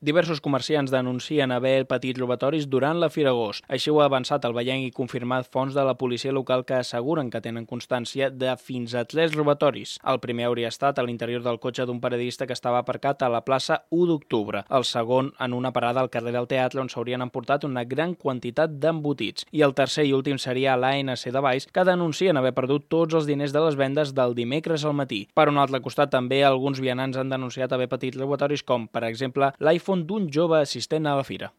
Diversos comerciants denuncien haver patit robatoris durant la Fira Agost. Així ho ha avançat el Vallenc i confirmat fonts de la policia local que asseguren que tenen constància de fins a 3 robatoris. El primer hauria estat a l'interior del cotxe d'un periodista que estava aparcat a la plaça 1 d'octubre. El segon en una parada al carrer del Teatre on s'haurien emportat una gran quantitat d'embotits. I el tercer i últim seria a l'ANC de Valls, que denuncien haver perdut tots els diners de les vendes del dimecres al matí. Per un altre costat, també alguns vianants han denunciat haver patit robatoris com, per exemple, l'iPhone d'un jove assistent a la fira.